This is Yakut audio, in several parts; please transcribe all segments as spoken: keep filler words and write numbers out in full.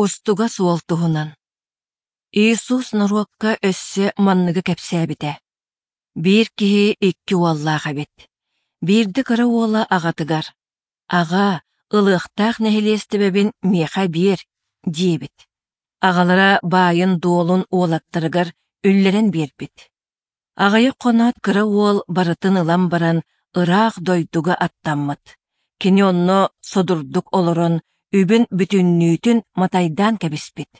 Устугас уол туһунан. Иисус норуокка өссө манныгы кэпсээбитэ. Биир киһи икки уоллаах эбит. Биирдэ кыра уола аҕатыгар: «Аҕаа, ылыахтаах нэһилиэстибэбин миэхэ биэр», диэбит. Аҕалара баайын-дуолун уолаттарыгар үллэрэн биэрбит. Аҕыйах хоноот кыра уол барытын ылан баран ыраах дойдуга аттаммыт. Кини онно содурдук олорон үбүн бүтүннүүтүн матайдаан кэбиспит.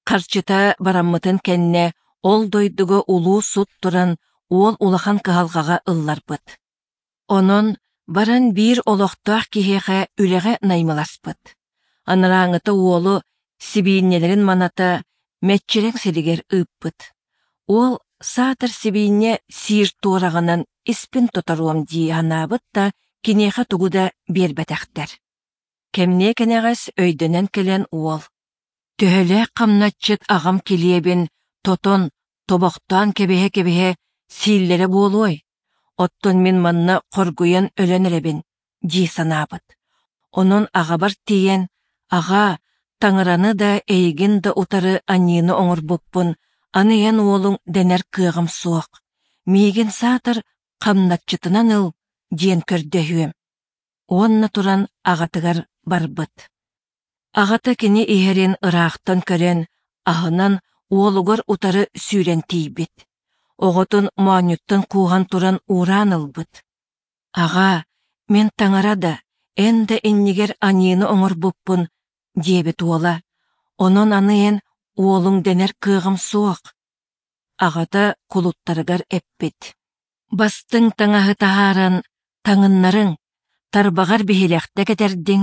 Харчыта бараммытын кэннэ ол дойдуга улуу сут туран уол улахан кыһалҕаҕа ылларбыт. Онон баран биир олохтоох киһиэхэ үлэҕэ наймыласпыт. Анарааҥыта уолу сибиинньэлэрин маната мэччирэҥ сиригэр ыыппыт. Уол саатар сибиинньэ сиир туораҕынан испин тоторуом дии санаабыт да киниэхэ тугу да биэрбэтэхтэр. Кэмниэ кэнэҕэс өйдөнөн кэлэн уол: «Төһөлөөх хамначчыт аҕам килиэбин тотон, тобохтоон кэбиһэ-кэбиһэ сииллэрэ буолуой? Оттон мин манна хоргуйан өлөн эрэбин» дии санаабыт. Онон аҕабар тиийэн: «Аҕаа, таҥараны да, эйигин да утары аньыыны оҥорбуппун, аны эн уолуҥ дэнэр кыаҕым суох. Миигин саатар хамначчытынан ыл» диэн көрдөһүөм. Уонна туран аҕатыгар барбыт. Аҕата кини иһэрин ыраахтан көрөн, аһынан уолугар утары сүүрэн тиийбит. Оҕотун моонньуттан кууһан туран уураан ылбыт. «Аҕаа, мин таҥара да, эн да иннигэр аньыыны оҥорбуппун», диэбит уола. «Онон аны эн уолуҥ дэнэр кыаҕым суох». Аҕата кулуттарыгар эппит: «Бастыҥ таҥаһы таһааран таҥыннарыҥ, тарбаҕар биһилэхтэ кэтэрдиҥ,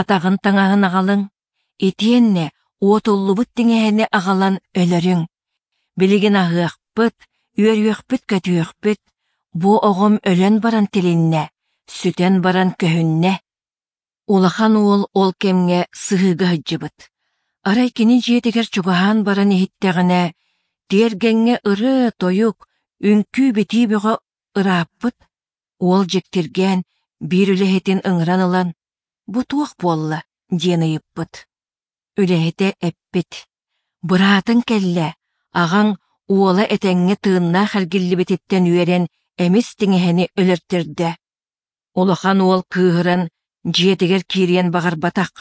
атаҕын таҥаһын аҕалыҥ, итиэннэ уотуллубут тиҥэһэни аҕалан өлөрүҥ. Билигин аһыахпыт, үөрүөхпүт-көтүөхпүт, бу оҕом өлөн баран тилиннэ, сүтэн баран көһүннэ». Улахан уол ол кэмҥэ сыһыыга сылдьыбыт. Арай кини дьиэтигэр чугаһаан баран иһиттэҕинэ, тиэргэҥҥэ ырыа-тойук, үҥкүү-битии бөҕө ырааппыт. Уол дьиктиргээн биир үлэһитин ыҥыран ылан: «Бу туох буолла?» диэн ыйыппыт. Үлэһитэ эппит: «Быраатыҥ кэллэ, аҕаҥ уола этэҥҥэ тыыннаах эргиллибититтэн үөрэн эмис тиҥэһэни өлөртөрдө». Улахан уол кыыһыран дьиэтигэр киириэн баҕарбатах.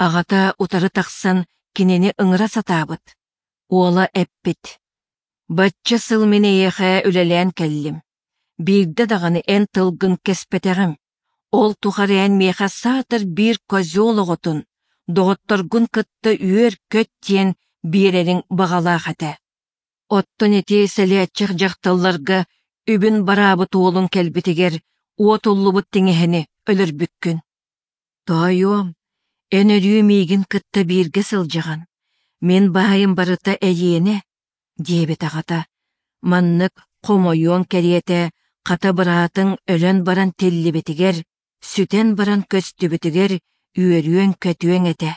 Аҕата утары тахсан кинини ыҥыра сатаабыт. Уола эппит: «Бачча сыл мин эйиэхэ үлэлээн кэллим. Биирдэ даҕаны эн тылгын кэспэтэҕим. Ол тухары эн миэхэ саатар биир козел оҕотун, доҕотторгун кытта үөр-көт диэн биэрэриҥ баҕалаах этэ. Оттон ити сэлээччэх дьахталларга үбүн бараабыт уолуҥ кэлбитигэр уотуллубут тиҥэһэни өлөрбүккүн. Тоойуом, эн өрүү миигин кытта бииргэ сылдьаҕын, мин баайым барыта эйиэнэ», диэбит аҕата. Маннык хомойуоҥ кэриэтэ хата быраатыҥ өлөн баран тиллибитигэр, сүтэн баран көстүбүтүгэр үөрүөҥ-көтүөҥ этэ.